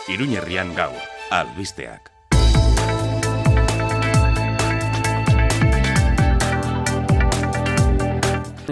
Iruñerrian gaur, albisteak.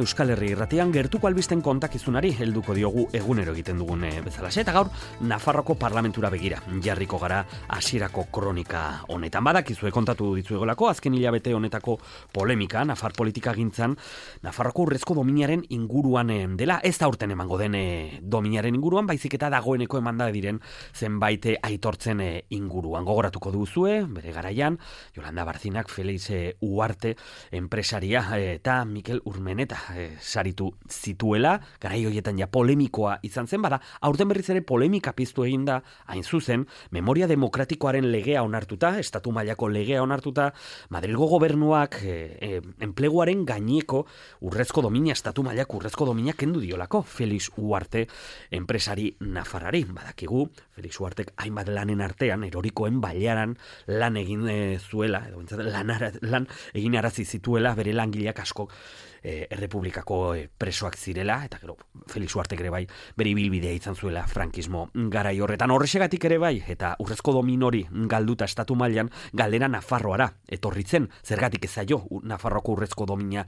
Euskal Herri irratian gertuko albisten kontakizunari helduko diogu egunero egiten dugun bezalaxe, eta gaur Nafarroko parlamentura begira jarriko gara hasierako kronika honetan. Badakizue kontatu ditzuegolako azken hilabete honetako polemika Nafar politika gintzan Nafarroko urrezko dominaren inguruan dela, ez da urten emango den dominaren inguruan, baizik eta dagoeneko emanda diren zenbait aitortzen inguruan. Gogoratuko duzue, bere garaian, Yolanda Barcinak, Felix Uarte enpresaria eta Mikel Urmeneta saritu zituela, garai horietan ja polemikoa izan zen, bada, aurten berriz ere polemika piztu egin da, hain zuzen, memoria demokratikoaren legea onartuta, estatu mailako legea onartuta, Madrilgo gobernuak enpleguaren gaineko urrezko domina, estatu mailako urrezko domina kendu diolako Felix Uarte enpresari nafarrari. Badakigu, Felix Uartek hainbat lanen artean, erorikoen bailaran lan egin zuela, edo lan egin arazi zituela bere langileak asko errepublikako presoak zirela, eta gero Felix Uartek ere bai bere ibilbidea izan zuela frankismo garai horretan. Horrexegatik ere bai, eta urrezko dominori galduta estatu mailan galdera Nafarroara etorritzen, zergatik ez zaio Nafarroko urrezko domina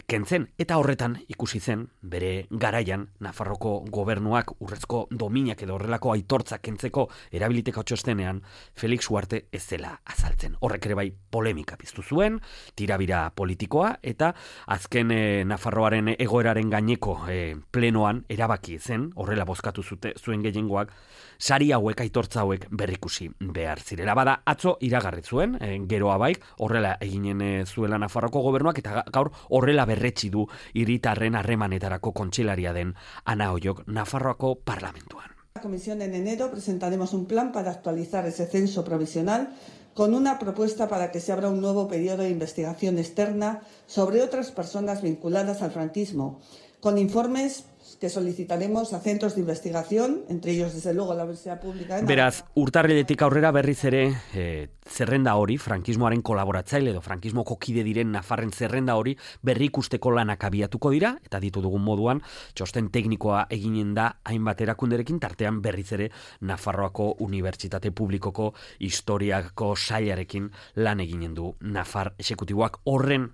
kentzen, eta horretan ikusi zen bere garaian Nafarroko gobernuak urrezko dominak edo horrelako aitortzak kentzeko erabiliteko txostenean Felix Uarte ez zela azaltzen. Horrek ere bai polemika piztu zuen, tirabira politikoa, eta azken Nafarroaren egoeraren gaineko plenoan erabaki zen, horrela bozkatu zuen gehiengoak, sari hauek, aitortza hauek berrikusi behar zirela. Bada, atzo iragarri zuen, geroa bai, horrela eginen zuela Nafarroko gobernuak, eta gaur horrela berretsi du hiritarren harremanetarako kontseilaria den Ana Ollok Nafarroako parlamentuan. La Comisión en enero presentaremos un plan para actualizar ese censo provisional con una propuesta para que se abra un nuevo periodo de investigación externa sobre otras personas vinculadas al franquismo, con informes que solicitaremos a centros de investigación, entre ellos, desde luego, la Universidad Pública de Navarra. Beraz, urtarriletik aurrera berriz ere zerrenda hori, frankismoaren kolaboratzaile edo frankismoko kide diren Nafarren zerrenda hori berri ikusteko lanak abiatuko dira, eta ditu dugun moduan, txosten teknikoa eginen da hainbat erakunderekin, tartean berriz ere Nafarroako Unibertsitate Publikoko historiako sailarekin lan eginen du Nafar exekutiboak. Horren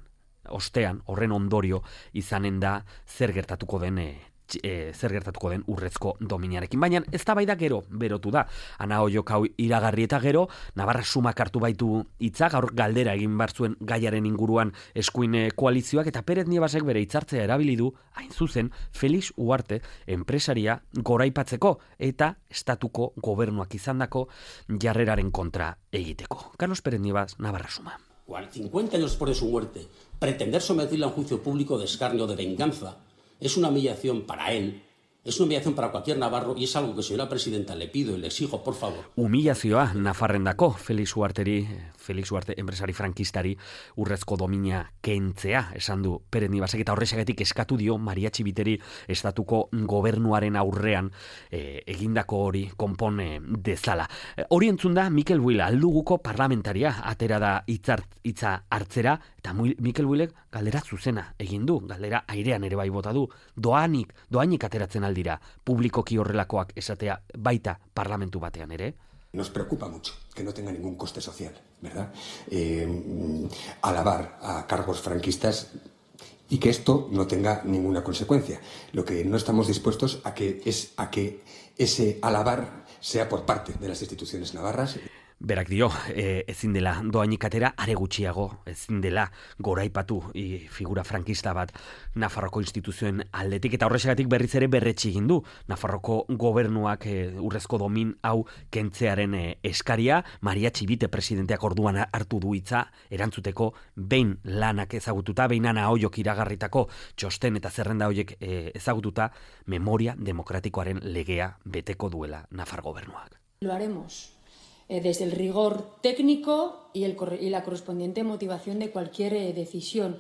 ostean, horren ondorio izanen da zer gertatuko den urrezko dominarekin. Baina eztabaida gero berotu da. Ana Ollok hau iragarri eta gero Navarra sumak hartu baitu hitza, gaur galdera egin bar zuen gaiaren inguruan eskuin koalizioak, eta Pérez Nievasek bere hitzartzea erabili du, hain zuzen, Felix Uarte enpresaria goraipatzeko eta estatuko gobernuak izandako jarreraren kontra egiteko. Carlos Pérez Nievas, Navarra suma. 50 años después de su muerte, pretender someterla a un juicio público de escarnio, de venganza, es una humillación para él, es una humillación para cualquier navarro, y es algo que, señora presidenta, le pido y le exijo, por favor. Humillazioa Nafarrendako Felix Uarte enpresari frankistari urrezko domina kentzea, esan du Pérez Nivasek, eta horrexegatik eskatu dio Maria Txibiteri estatuko gobernuaren aurrean egindako hori konpon dezala. Hori entzun da Mikel Buila, alduguko parlamentaria, atera da hitza hartzera, eta Mikel Builek galdera zuzena egin du, galdera airean ere bai bota du, doainik ateratzen aldira publikoki horrelakoak esatea baita parlamentu batean ere. Nos preocupa mucho que no tenga ningún coste social, ¿verdad? Alabar a cargos franquistas y que esto no tenga ninguna consecuencia. Lo que no estamos dispuestos a que ese alabar sea por parte de las instituciones navarras. Berak dio, ezin dela doainik atera, are gutxiago, ezin dela goraipatu figura frankista bat Nafarroko instituzioen aldetik, eta horrexegatik berriz ere berretsi egin du Nafarroko gobernuak urrezko domin hau kentzearen eskaria. Maria Txibite presidenteak orduan hartu du hitza erantzuteko, behin lanak ezagututa, behin Ana Ollok iragarritako txosten eta zerrenda horiek ezagututa, memoria demokratikoaren legea beteko duela Nafar gobernuak. Lo haremos desde el rigor técnico y la correspondiente motivación de cualquier decisión.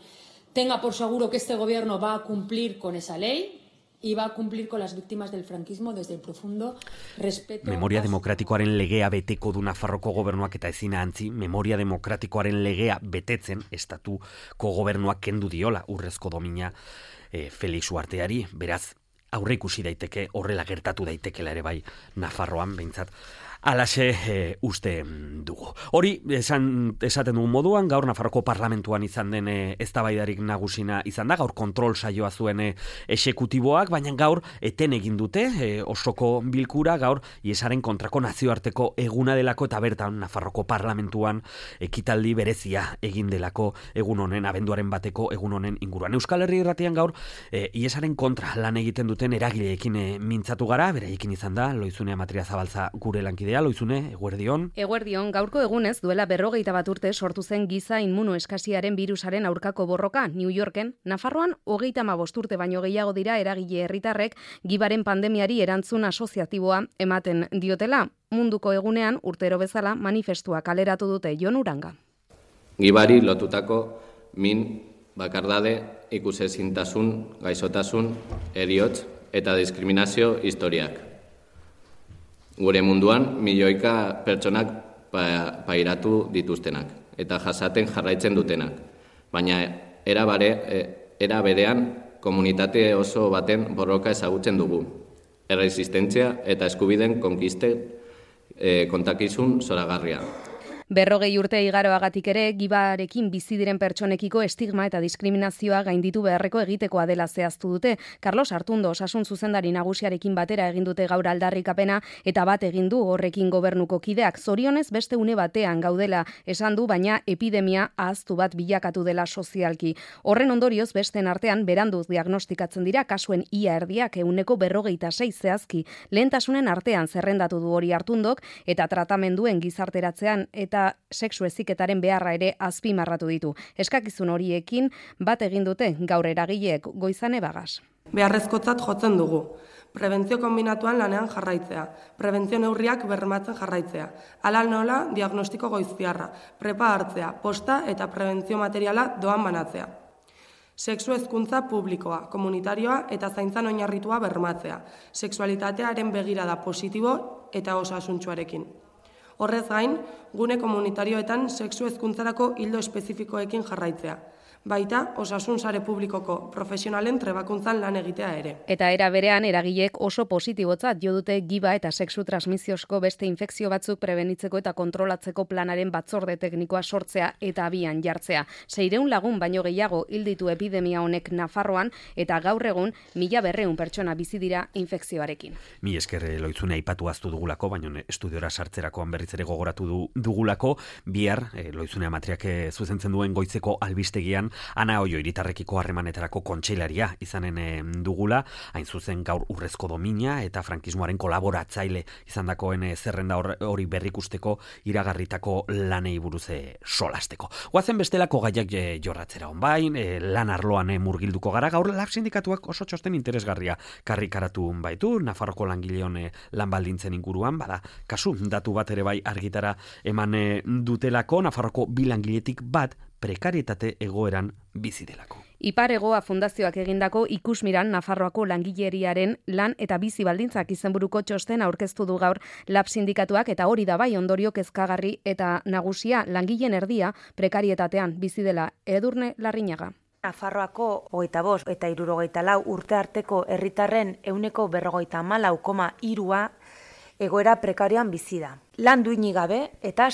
Tenga por seguro que este gobierno va a cumplir con esa ley y va a cumplir con las víctimas del franquismo desde el profundo respeto. Memoria demokratikoaren legea beteko du Nafarroko gobernuak, eta ezina antzi, memoria demokratikoaren legea betetzen estatuko gobernuak kendu diola urrezko domina Felix Uarteari. Beraz, aurre ikusi daiteke, horrela gertatu daitekela ere bai Nafarroan, behintzat. Alaxe uste dugu. Hori, esaten dugun moduan, gaur Nafarroko parlamentuan izan den eztabaidarik nagusina izan da, gaur kontrol saioa zuen exekutiboak, baina gaur eten egin dute osoko bilkura, gaur IESaren kontrako nazioarteko eguna delako, eta bertan Nafarroko parlamentuan ekitaldi berezia egin delako egun honen, abenduaren bateko egun honen inguruan. Euskal Herri Irratian gaur IESaren kontra lan egiten duten eragileekin mintzatu gara, beraiekin izan da, Loizune Amatria Zabaltza gure lankidea. Loizune, eguerdion. Eguerdion, gaurko egunez duela 51 urte sortu zen giza inmunoeskasiaren birusaren aurkako borroka New Yorken. Nafarroan 35 urte baino gehiago dira eragile herritarrek gibaren pandemiari erantzun asoziatiboa ematen diotela. Munduko egunean urtero bezala manifestua kaleratu dute Jon Uranga. Gibari lotutako min, bakardade, ikusezintasun, gaixotasun, heriotz eta diskriminazio historiak. Gure munduan milioika pertsonak pairatu dituztenak eta jasaten jarraitzen dutenak. Baina era berean komunitate oso baten borroka ezagutzen dugu. Erresistentzia eta eskubideen konkiste kontakizun zoragarria. 40 urte igaroagatik ere, gibarekin bizi diren pertsonekiko estigma eta diskriminazioa gainditu beharreko egitekoa dela zehaztu dute. Carlos Artundo, osasun zuzendari nagusiarekin batera egin dute gaur aldarrikapena eta bat egin du horrekin gobernuko kideak. Zorionez beste une batean gaudela esan du, baina epidemia ahaztu bat bilakatu dela sozialki. Horren ondorioz besten artean beranduz diagnostikatzen dira kasuen ia erdiak 46% zehazki. Lehentasunen artean zerrendatu du hori Artundok eta tratamenduen gizarteratzean eta sexu heziketaren beharra ere azpimarratu ditu. Eskakizun horiekin bat egin dute gaur eragileek. Goizane Bagas. Beharrezkotzat jotzen dugu. Prebentzio kombinatuan lanean jarraitzea, prebentzio neurriak bermatzen jarraitzea, hala nola diagnostiko goiztiarra, prepa hartzea, posta eta prebentzio materiala doan banatzea. Sexu hezkuntza publikoa, komunitarioa eta zaintzan oinarritua bermatzea, sexualitatearen begirada positibo eta osasuntsuarekin. Horrez gain, gune komunitarioetan sexu hezkuntzarako ildo espezifikoekin jarraitzea. Baita, osasun sare publikoko profesionalen trebakuntzan lan egitea ere. Eta era berean eragileek oso positibotzat jo dute giba eta sexu transmisiozko beste infekzio batzuk prebenitzeko eta kontrolatzeko planaren batzorde teknikoa sortzea eta abian jartzea. 600 lagun baino gehiago hil ditu epidemia honek Nafarroan eta gaur egun 1200 pertsona bizi dira infekzioarekin. Mi esker Loizune aipatu aztu dugulako, baina estudiora sartzerakoan berriz ere gogoratu dugulako, bihar Loizune Amatriak zuzentzen duen goizeko albistegian Ana Oio hiritarrekiko harremanetarako kontseilaria izanen dugula, hain zuzen gaur urrezko domina eta frankismoaren kolaboratzaile izandakoen zerrenda hori berrikusteko iragarritako lanei buruz solasteko. Goazen bestelako gaiak jorratzera onbain, lan arloan murgilduko gara, gaur lab sindikatuak oso txosten interesgarria karrikaratu baitu, Nafarroko langileon lan baldintzen inguruan, bada, kasu, datu bat ere bai argitara eman dutelako, Nafarroko bi langiletik bat prekarietate egoeran bizi delako. Ipar Hegoa Fundazioak egindako ikusmiran Nafarroako langileriaren lan eta bizi baldintzak izenburuko txosten aurkeztu du gaur lab sindikatuak eta hori da bai ondorio kezkagarri eta nagusia langileen erdia prekarietatean bizi dela. Edurne Larrinaga. Nafarroako 25 eta 64 urte arteko herritarren 44,3% egoera prekarioan bizi da. Lan duinik gabe eta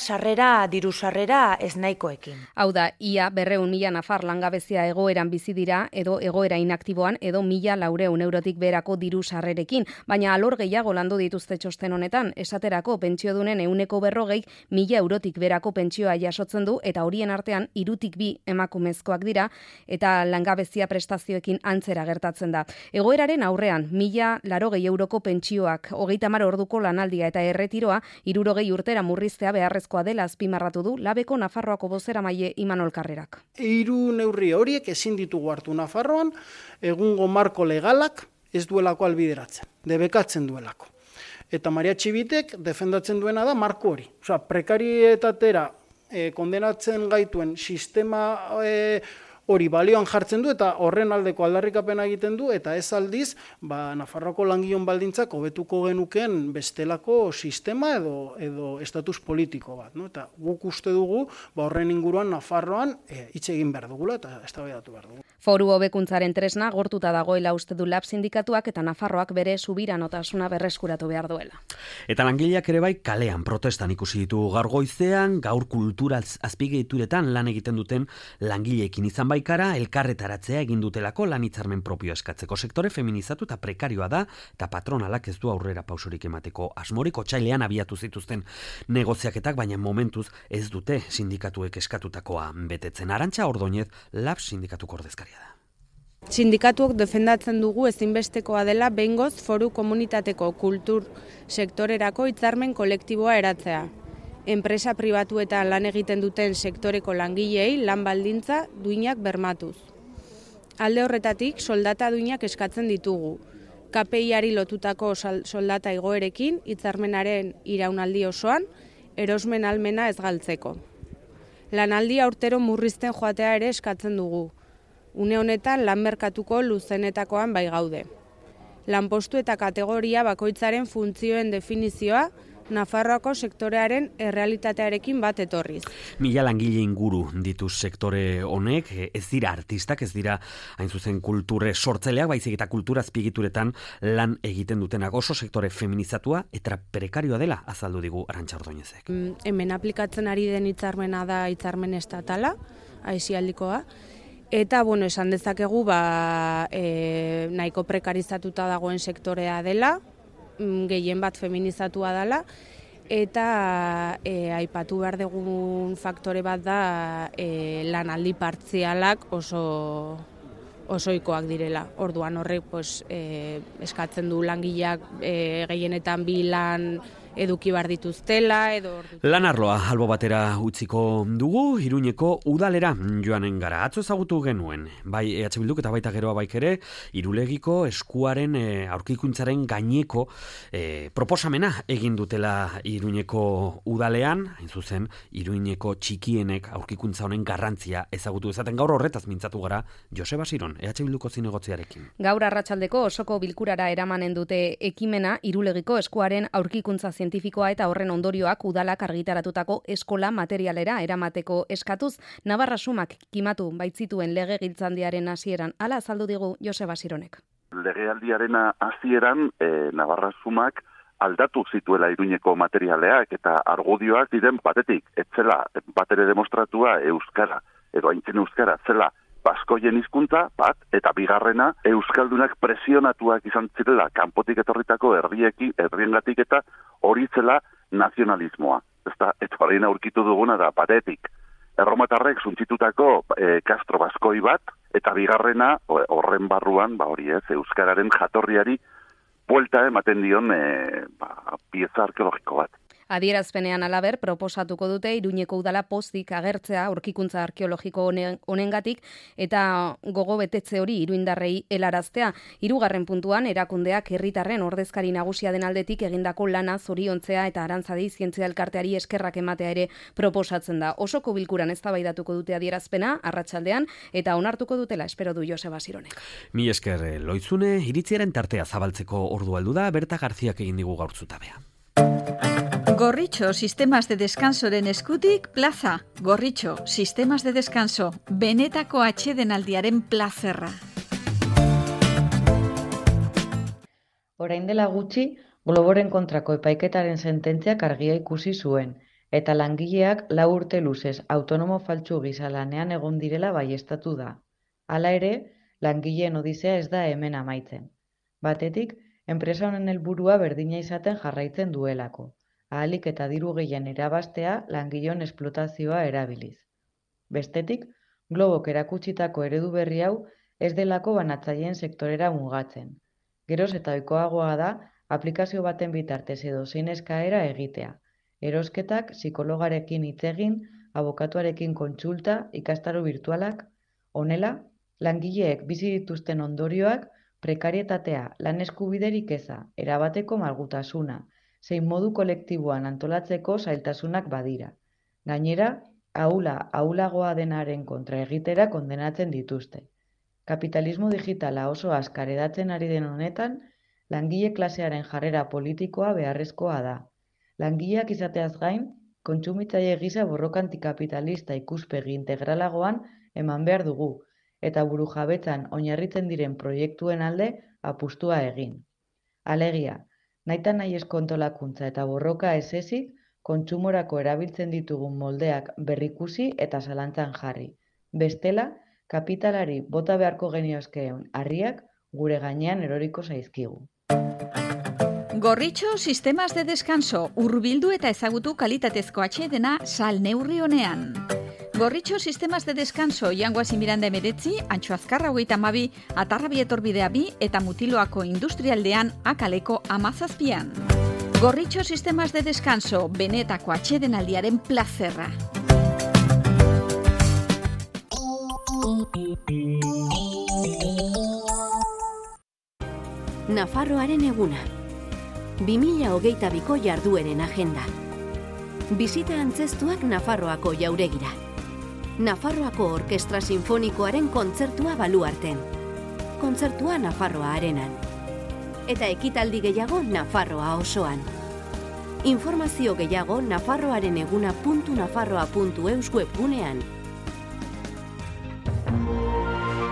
diru sarrera eznahikoekin. Hau da, ia 200.000 nafar langabezia egoeran bizi dira edo egoera inaktiboan edo 1.400 eurotik beherako diru sarrerekin, baina alor gehiago landu dituzte txosten honetan, esaterako pentsiodunen 140 1.000 eurotik beherako pentsioa jasotzen du eta horien artean 3-2 emakumezkoak dira eta langabezia prestazioekin antzera gertatzen da. Egoeraren aurrean 1.080 euroko pentsioak, 30 orduko lanaldia eta erretiroa 60 urtera murriztea beharrezkoa dela azpimarratu du Labeko Nafarroako bozeramaile Imanol Karrerak. 3 neurri horiek ezin ditugu hartu Nafarroan, egungo marko legalak ez duelako albideratzen, debekatzen duelako. Eta Maria Txibitek defendatzen duena da marko hori. Osea, prekarietatera kondenatzen gaituen sistema hori balioan jartzen du eta horren aldeko aldarrikapena egiten du eta ez aldiz Nafarroako langileon baldintzak hobetuko genukeen bestelako sistema edo estatus politiko bat. No? Eta guk uste dugu horren inguruan Nafarroan hitz egin behar dugula eta eztabaidatu behar dugu. Foru hobekuntzaren tresna gortuta dagoela uste du LAB sindikatuak eta Nafarroak bere subiranotasuna berreskuratu behar duela. Eta langileak ere bai kalean protestan ikusi ditugu gaur goizean, gaur kultura azpiegituretan lan egiten duten langileekin izan baikara, elkarretaratzea egin dutelako lan hitzarmen propio eskatzeko. Sektore feminizatu eta prekarioa da, eta patronalak ez du aurrera pausorik emateko asmorik. Otsailean abiatu zituzten negoziaketak, baina momentuz ez dute sindikatuek eskatutakoa betetzen. Arantxa Ordoñez, LAB sindikatuko ordezkaria da. Sindikatuok defendatzen dugu ezinbestekoa dela behingoz foru komunitateko kultur sektorerako hitzarmen kolektiboa eratzea. Enpresa pribatuetan lan egiten duten sektoreko langileei lan baldintza duinak bermatuz. Alde horretatik soldata duinak eskatzen ditugu. KPI-ari lotutako soldata igoerekin hitzarmenaren iraunaldi osoan erosmen ahalmena ez galtzeko. Lanaldia urtero murrizten joatea ere eskatzen dugu. Une honetan lan merkatuko luzenetakoan bai gaude. Lanpostu eta kategoria bakoitzaren funtzioen definizioa Nafarroako sektorearen errealitatearekin bat etorriz. 1000 langile inguru ditu sektore honek, ez dira artistak, ez dira hain zuzen kulture sortzaileak, baizik eta kultura azpiegituretan lan egiten dutenak. Oso sektore feminizatua eta prekarioa dela azaldu digu Arantxa Ordoñezek. Hemen aplikatzen ari den hitzarmena da hitzarmen estatala, aisialdikoa. Eta, esan dezakegu, nahiko prekarizatuta dagoen sektorea dela, gehien bat feminizatua dela, eta aipatu behar dugun faktore bat da lanaldi partzialak osoikoak direla. Orduan horrek eskatzen du langileak gehienetan 2 lan eduki bar dituztela edo lan arloa albo batera utziko dugu, Iruñeko udalera joanen gara. Atzo ezagutu genuen, bai EH Bilduk eta baita geroa baik ere, Irulegiko eskuaren aurkikuntzaren gaineko proposamena egin dutela Iruñeko udalean, hain zuzen Iruñeko txikienek aurkikuntza honen garrantzia ezagutu ezaten. Gaur horretaz mintzatu gara Joseba Siron, EH Bilduko zinegotziarekin. Gaur arratsaldeko osoko bilkurara eramanen dute ekimena Irulegiko eskuaren aurkikuntza zientifikoa eta horren ondorioak udalak argitaratutako eskola materialera eramateko eskatuz, Navarra Sumak kimatu baitzituen legegiltzaldiaren hasieran. Hala azaldu digu Joseba Sironek. Legealdiaren hasieran Navarra Sumak aldatu zituela Iruñeko materialeak eta argudioak diren batetik, etzela batere demostratua euskara, edo aintzen euskara, zela baskoien hizkuntza bat, eta bigarrena euskaldunak presionatuak izan zirela kanpotik etorritako herriengatik eta hori zela nazionalismoa. Eta horrein aurkitu duguna da batetik erromatarrek suntzitutako Castro baskoi bat, eta bigarrena horren barruan, hori ez, euskararen jatorriari buelta ematen dion pieza arkeologiko bat. Adierazpenean halaber proposatuko dute Iruñeko udala pozik agertzea aurkikuntza arkeologiko honengatik eta gogo betetze hori iruindarrei helaraztea. 3. puntuan erakundeak herritarren ordezkari nagusia den aldetik egindako lana zoriontzea eta Arantzadi zientzia elkarteari eskerrak ematea ere proposatzen da. Osoko bilkuran eztabaidatuko dute adierazpena arratsaldean eta onartuko dutela espero du Joseba Sironek. Mi esker Loitzune, iritziaren tartea zabaltzeko ordua heldu da, Berta Garziak egin digu gaur zutabea. Gorritxo, sistemas de descansoren eskutik, plaza. Gorritxo, sistemas de descanso, benetako atsedenaldiaren plazerra. Orain dela gutxi, Globoren kontrako epaiketaren sententziak argia ikusi zuen, eta langileak 4 urte luzez autonomo faltsu gisa lanean egon direla baieztatu da. Hala ere, langileen odisea ez da hemen amaitzen. Batetik, enpresa honen helburua berdina izaten jarraitzen duelako. Ahalik eta diru gehien irabaztea langileon esplotazioa erabiliz. Bestetik, Globok erakutsitako eredu berri hau ez delako banatzaileen sektorera mugatzen. Geroz eta ohikoagoa da aplikazio baten bitartez edo zein eskaera egitea. Erosketak, psikologarekin hitz egin, abokatuarekin kontsulta, ikastaro virtualak. Honela, langileek bizi dituzten ondorioak, prekarietatea, lan eskubiderik eza, erabateko malgutasuna, zein modu kolektiboan antolatzeko zailtasunak badira. Gainera, ahulagoa denaren kontra egitera kondenatzen dituzte. Kapitalismo digitala oso azkar hedatzen ari den honetan, langile klasearen jarrera politikoa beharrezkoa da. Langileak izateaz gain, kontsumitzaile gisa borroka antikapitalista ikuspegi integralagoan eman behar dugu, eta burujabetzan oinarritzen diren proiektuen alde apustua egin. Alegia, nahita nahi eskontolakuntza eta borroka ez ezik, kontsumorako erabiltzen ditugun moldeak berrikusi eta zalantzan jarri. Bestela, kapitalari bota beharko geniozkeen harriak gure gainean eroriko zaizkigu. Gorritxo sistemas de descanso, hurbildu eta ezagutu kalitatezko atsedena sal neurri honean. Gorritxo sistemas de descanso, Jangoasi Miranda 19, Antxo Azkarra 32, Atarrabi etorbidea 2 eta Mutiloako industrialdean Akaleko 17. Gorritxo sistemas de descanso, benetako atsedenaldiaren plazerra. Nafarroaren eguna. 2022ko jardueren agenda. Bisita antzestuak Nafarroako jauregira. Nafarroako Orkestra Sinfonikoaren kontzertua Baluarten. Kontzertua Nafarroa Arenan. Eta ekitaldi gehiago Nafarroa osoan. Informazio gehiago nafarroareneguna.nafarroa.eus webgunean.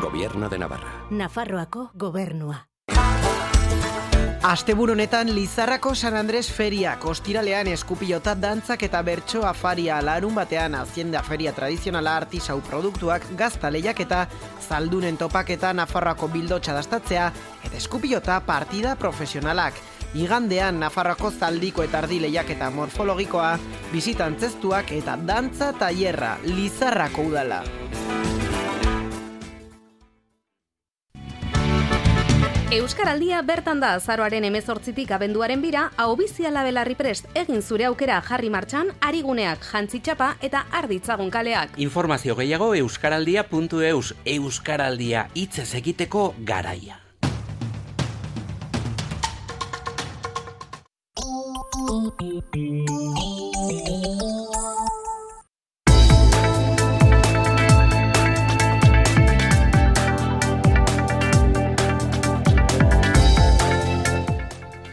Gobierno de Navarra. Nafarroako gobernua. Asteburu honetan Lizarrako San Andres Feriak, ostiralean eskupilota dantzak eta bertso afaria, larun batean Hacienda Feria tradizionala artisau produktuak, gazta lehiaketa, zaldunen topaketa, Nafarroako bildotxa dastatzea, eta eskupilota partida profesionalak. Igandean Nafarroako zaldiko eta ardi lehiaketa morfologikoa, bisitantzestuak eta dantza tailerra, Lizarrako udala. Euskaraldia bertan da azaroaren 18tik abenduaren 2, Ahobiziala Belarri prest egin zure aukera jarri martxan, ariguneak, jantzitxapa eta arditzagun kaleak. Informazio gehiago euskaraldia.eus, Euskaraldia hitzez egiteko garaia.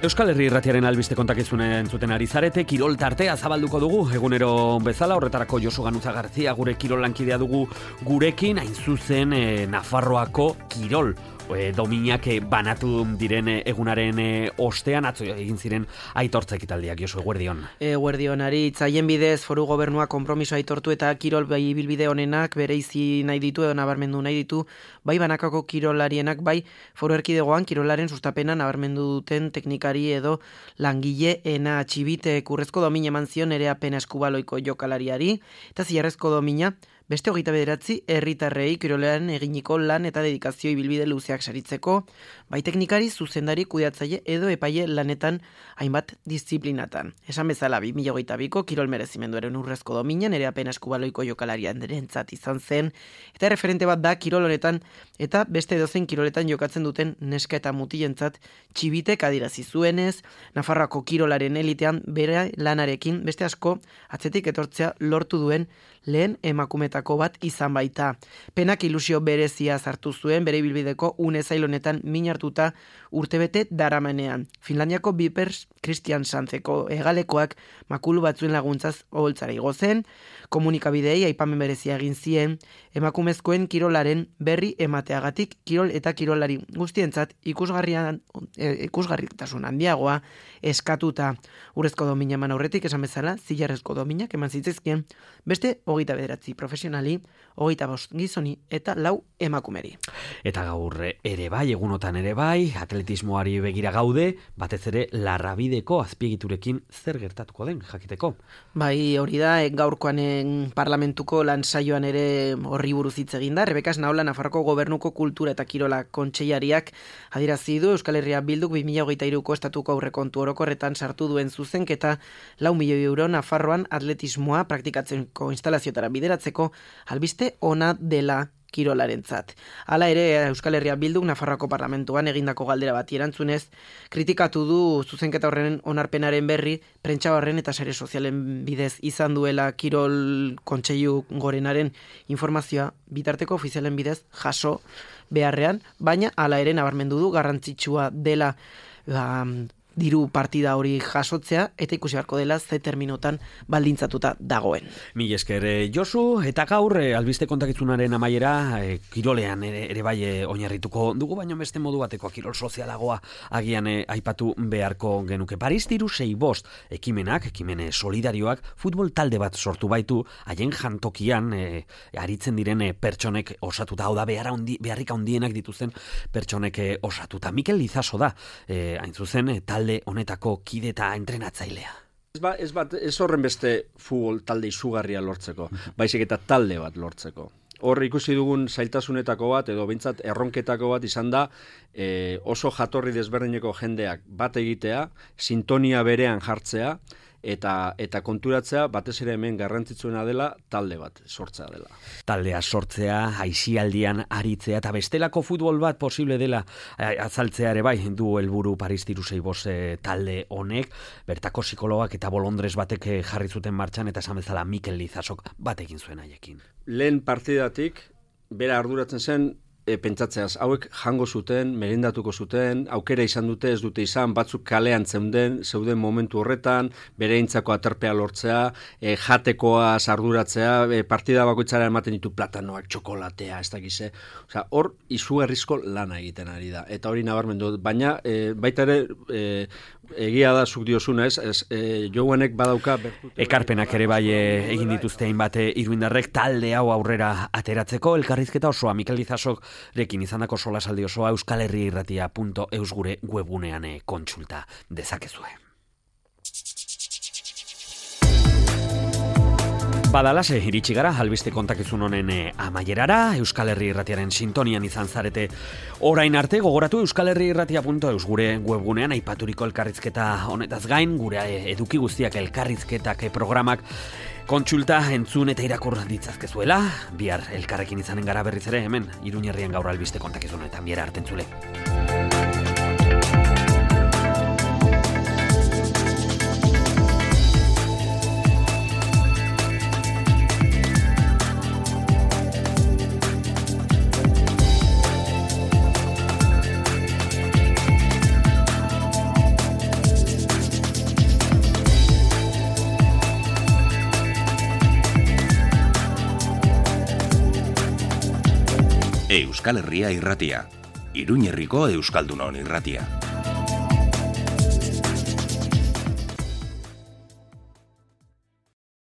Euskal Herri Irratiaren albiste kontakizunen entzuten ari zarete, kirol tartea zabalduko dugu, egunero bezala, horretarako Josu Ganuza Garzia gure kirol lankidea dugu gurekin, hain zuzen Nafarroako kirol dominak banatu diren egunaren ostean, atzo egin ziren aitortza ekitaldiak, Josu, eguerdion. Eguerdionari, itzaien bidez foru gobernua konpromiso aitortu eta kirol ibilbide honenak bereizi nahi ditu edo nabarmendu nahi ditu, bai banakako kirolarienak, bai foru erkidegoan kirolaren sustapena nabarmendu duten teknikari edo langile ena atxibite kurrezko domina eman zion ere apena eskubaloiko jokalariari, eta ziarrezko domina beste 29 herritarrei kirolean eginiko lan eta dedikazio ibilbide luzeak saritzeko, bai teknikari, zuzendari, kudeatzaile edo epaile lanetan hainbat disiplinatan. Esan bezala 2022ko kirol merezimenduaren urrezko dominan ere apena eskubaloiko jokalarian derentzat izan zen, eta referente bat da kirol honetan eta beste edozein kiroletan jokatzen duten neska eta mutilentzat txibitek adirazi zuenez, Nafarroako kirolaren elitean bere lanarekin beste asko atzetik etortzea lortu duen lehen emakumetako bat izan baita. Penak ilusio berezia sartu zuen bere ibilbideko une zail honetan min hartuta urtebete daramanean. Finlandiako Vipers Christian Sanzeko hegalekoak makulu batzuen laguntzaz oholtzara igo zen, komunikabideei aipamen berezia egin zien, emakumezkoen kirolaren berri emateagatik kirol eta kirolari guztientzat ikusgarritasun handiagoa eskatuta. Urrezko domina eman aurretik esan bezala, zilarrezko dominak eman zitezkien, beste 29 profesionali, 25 gizoni eta 4 emakumeri. Eta gaur ere bai, egunotan ere bai, atletismoari begira gaude, batez ere Larrabideko azpiegiturekin zer gertatuko den jakiteko. Bai, hori da, gaurkoan parlamentuko lan saioan ere horri buruz hitz egin da. Rebeka Esnaola, Nafarroko Gobernuko Kultura eta Kirola Kontseilariak adierazi du Euskal Herria Bilduk 2023ko estatuko aurrekontu orokorretan sartu duen zuzenketa 4 milioi euro Nafarroan atletismoa praktikatzeko instalazioetara bideratzeko albiste ona dela kirolarentzat. Hala ere, Euskal Herria Bilduk Nafarroako Parlamentuan egindako galdera bati erantzunez, kritikatu du zuzenketa horren onarpenaren berri, prentsa horren eta sare sozialen bidez izan duela Kirol Kontseilu Gorenaren informazioa bitarteko ofizialen bidez jaso beharrean, baina hala ere nabarmendu du garrantzitsua dela diru partida hori jasotzea, eta ikusi beharko dela ze terminotan baldintzatuta dagoen. Mil esker, Josu, eta gaur albiste kontakizunaren amaiera kirolean ere bai oinarrituko dugu, baino beste modu batekoa kirol sozialagoa agian aipatu beharko genuke. Paris 365 ekimenak, ekimene solidarioak, futbol talde bat sortu baitu, haien jantokian aritzen diren pertsonek osatuta, hau da beharrik handienak dituzten pertsonek osatuta. Mikel Lizaso da, hain zuzen, talde honetako kide eta entrenatzailea. Ez horren beste futbol talde izugarria lortzeko, baizik eta talde bat lortzeko. Hor ikusi dugun zailtasunetako bat, edo behintzat erronketako bat izan da, oso jatorri desberdineko jendeak bat egitea, sintonia berean jartzea, eta konturatzea batez ere hemen garrantzitsuena dela talde bat sortzea dela. Taldea sortzea, aisialdian aritzea eta bestelako futbol bat posible dela azaltzea ere bai du helburu Paris 365 talde honek, bertako psikologak eta bolondrez batek jarri zuten martxan eta esan bezala Mikel Lizasok batekin zuen haiekin. Lehen partidatik bera arduratzen zen pentsatzeaz, hauek jango zuten, merendatuko zuten, aukera izan dute, ez dute izan, batzuk kalean zeuden momentu horretan, bere eintzako aterpea lortzea, jatekoaz arduratzea, partida bakoitzara ematen ditu platanoak, txokolatea, ez dakize. Osea, hor izugarrizko lana egiten ari da, eta hori nabarmendu, baina baita ere egia da zuk diozuna, ez Joanek badauka ekarpenak ere bai egin dituzte hainbat iruindarrek talde hau aurrera ateratzeko. Elkarrizketa osoa Mikel Lizasok rekin izandako solasaldi osoa euskalherriirratia.eus gure webgunean kontsulta dezakezue. Badalase, iritsi gara, albiste kontakizun honen amaierara, Euskal Herri Irratiaren sintonian izan zarete orain arte, gogoratu euskalherriirratia.eus gure webgunean aipaturiko elkarrizketa honetaz gain, gure eduki guztiak elkarrizketak programak kontsulta entzun eta irakur ditzazkezuela, bihar elkarrekin izanen gara berriz ere hemen, Iruñerrian gaur albiste kontakizunetan, bihar arte entzule. Euskal Herria Irratia, Iruñerriko Euskaldunon Irratia.